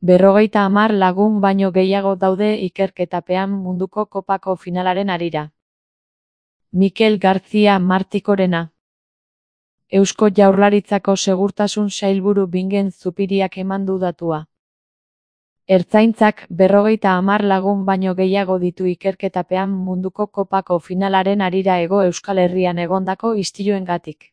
50 lagun baino gehiago daude ikerketapean munduko kopako finalaren harira. Mikel García Martikorena. Eusko Jaurlaritzako Segurtasun Sailburu Bingen Zupiriak eman du datua. Ertzaintzak 50 lagun baino gehiago ditu ikerketapean munduko kopako finalaren harira Hego Euskal Herrian egondako istiluengatik.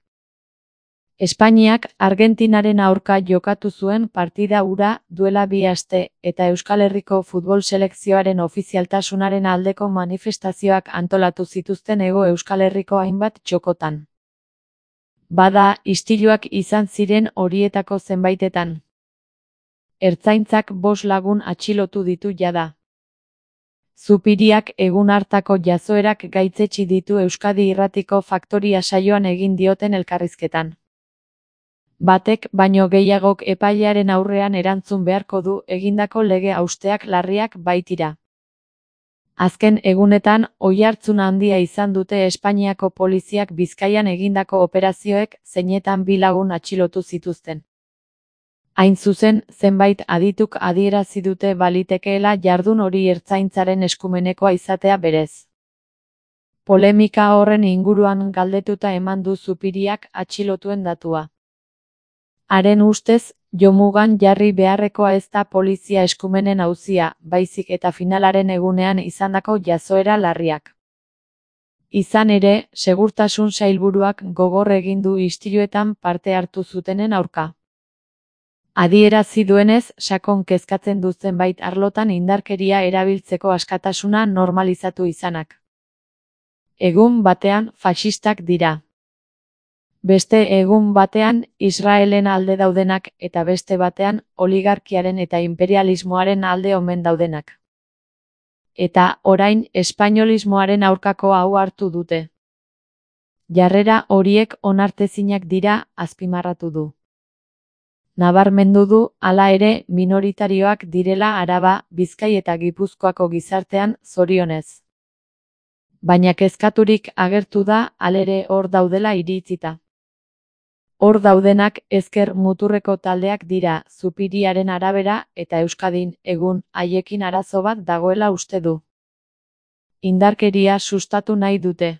Espainiak Argentinaren aurka jokatu zuen partida hura duela 2 aste eta Euskal Herriko futbol selekzioaren ofizialtasunaren aldeko manifestazioak antolatu zituzten Hego Euskal Herriko hainbat txokotan. Bada, istiluak izan ziren horietako zenbaitetan. Ertzaintzak 5 lagun atxilotu ditu jada. Zupiriak egun hartako jazoerak gaitzetsi ditu Euskadi Irratiko Faktoria saioan egin dioten elkarrizketan. Batek baino gehiagok epailearen aurrean erantzun beharko du egindako lege hausteak larriak baitira. Azken egunetan oihartzun handia izan dute Espainiako poliziak Bizkaian egindako operazioek zeinetan 2 lagun atxilotu zituzten. Hain zuzen, zenbait adituk adierazi dute balitekeela jardun hori ertzaintzaren eskumenekoa izatea berez. Polemika horren inguruan galdetuta eman du Zupiriak atxilotuen datua. Haren ustez, jomugan jarri beharrekoa ez da polizia eskumenen auzia, baizik eta finalaren egunean izandako jazoera larriak. Izan ere, Segurtasun Sailburuak gogor egin du istiluetan parte hartu zutenen aurka. Adierazi duenez, sakon kezkatzen du zenbait arlotan indarkeria erabiltzeko askatasuna normalizatu izanak. Egun batean faxistak dira. Beste egun batean Israelen alde daudenak eta beste batean oligarkiaren eta imperialismoaren alde omen daudenak. Eta orain espainolismoaren aurkako hau hartu dute. Jarrera horiek onartezinak dira, azpimarratu du. Nabarmendu du, hala ere, minoritarioak direla Araba, Bizkai eta Gipuzkoako gizartean, zorionez. Baina kezkaturik agertu da, halere hor daudela iritzita. Hor daudenak ezker muturreko taldeak dira, Zupiriaren arabera, eta Euskadin, egun, haiekin arazo bat dagoela uste du. Indarkeria sustatu nahi dute.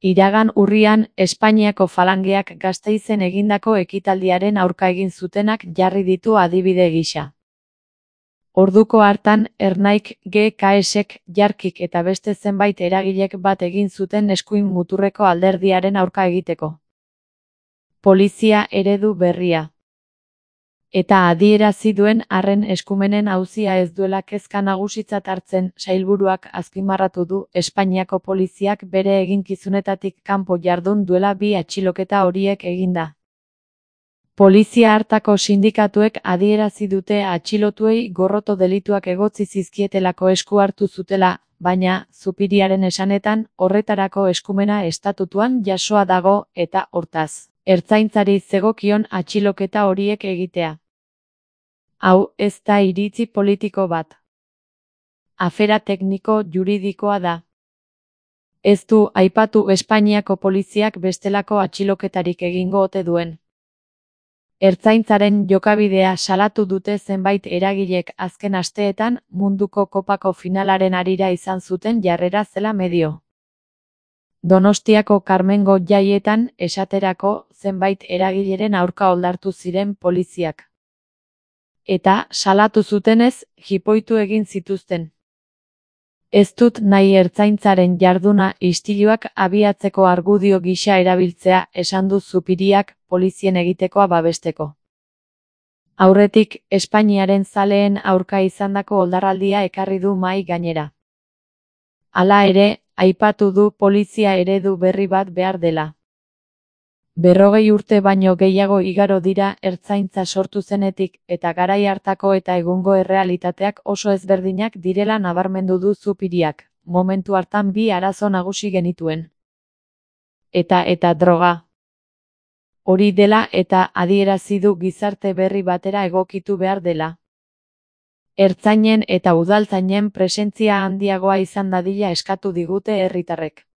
Iragan urrian, Espainiako falangeak Gasteizen egindako ekitaldiaren aurka egin zutenak jarri ditu adibide gisa. Orduko hartan, Ernaik, GKSek, Jarkik eta beste zenbait eragilek bat egin zuten eskuin muturreko alderdiaren aurka egiteko. Polizia eredu berria. Eta adierazi duen arren eskumenen auzia ez duela kezka nagusitzat hartzen, sailburuak azpimarratu du Espainiako poliziak bere eginkizunetatik kanpo jardun duela 2 atxiloketa horiek eginda. Polizia hartako sindikatuek adierazi dute atxilotuei gorroto delituak egotzi zizkietelako esku hartu zutela, baina, Zupiriaren esanetan, horretarako eskumena estatutuan jasoa dago, eta, hortaz, ertzaintzari zegokion atxiloketa horiek egitea. Hau, ez da iritzi politiko bat. Afera tekniko juridikoa da. Ez du aipatu Espainiako poliziak bestelako atxiloketarik egingo ote duen. Ertzaintzaren jokabidea salatu dute zenbait eragilek azken asteetan munduko kopako finalaren harira izan zuten jarrera zela medio. Donostiako Karmengo jaietan esaterako zenbait eragileren aurka oldartu ziren poliziak. Eta, salatu zutenez, jipoitu egin zituzten. Ez dut nahi ertzaintzaren jarduna istiluak abiatzeko argudio gisa erabiltzea, esan du Zupiriak polizien egitekoa babesteko. Aurretik, Espainiaren zaleen aurka izandako oldarraldia ekarri du mahai gainera. Hala ere, aipatu du polizia eredu berri bat behar dela. 40 urte baino gehiago igaro dira ertzaintza sortu zenetik eta garai hartako eta egungo errealitateak oso ezberdinak direla nabarmendu du Zupiriak, momentu hartan 2 arazo nagusi genituen. Eta droga. Hori dela eta adierazi du gizarte berri batera egokitu behar dela. Ertzainen eta udaltzainen presentzia handiagoa izan dadila eskatu digute herritarrek.